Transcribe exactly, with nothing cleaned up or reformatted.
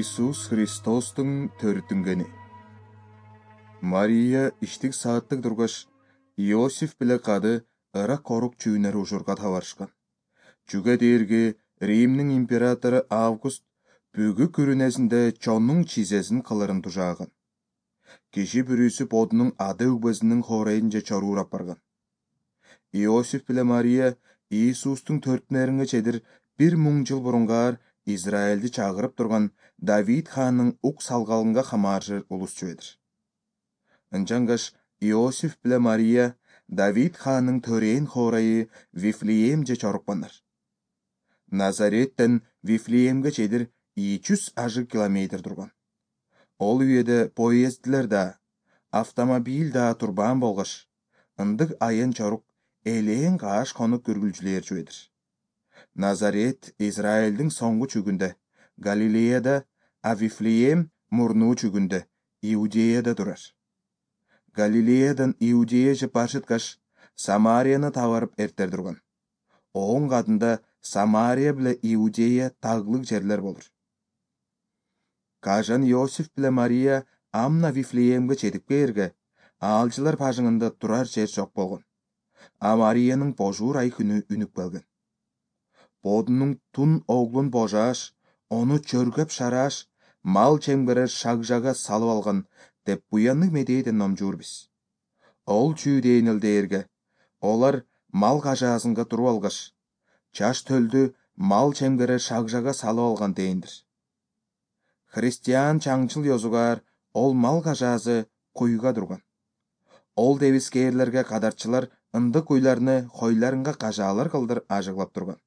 Иисус Христостун төрүтүнгени. Мария иштик сааттык тургаш, Иосиф биле кады ыра корук чүүнөр ужурга табарышкан. Чүгө дээрги Римдин императору Август бүгү күрүнесинде чоннун чизесин кылырын тужааган. Киши бүрүсү бодунун ада үгбөсүнүн хорейинже чоруурап барган. Иосиф биле Мария Иисустун төртүнөрүнгө чедир бир муң жыл бурунгаар Израилди чагырып турган Давид ханның ук салгалынга хамааржыр улус чүбедир. Ынчангаш Иосиф биле Мария Давид ханның төрээн хорайы Вифлеемже чорукпандар. Назареттен Вифлеемге чедир эки жүз ажы километр турган. Ол үйеде поезддилер да, автомобиль да турбаан болгош, ындык айын чорук элээн кааш конук көргүлчүлөр чүбедир. Назарет Израилдин соңгу чүгүндө, Галилеяда, а Вифлеем мурнуу чүгүндө, Иудеяда турар. Галилеядан Иудеяже башыткаш, Самарияны табарып эртер турган. Оон кадында Самария биле Иудея таглык жерлер болур. Кажан Иосиф биле Мария амна Вифлеемге чедип кээрге, аалчылар бажыңында турар жер жок болгон. А Мариянын божуур ай күнү үнүп келген. Бодунун тун оглун божааш, ону чөргөп шарааш, мал чемгерер шагжага салып алган деп буянны медээден номжуур биз. Ол чүү дейнил дээрге, олар мал кажаасынга туруп алгаш, чаш төлдү мал чемгерер шагжага салып алган дейиндир. Христиан чаңчыл ёзугар ол мал кажаасы куйга турган. Ол дебискээрлерге кадарчылар ындык уйларны хойларынга кажаалар кылдыр ажыглап турган.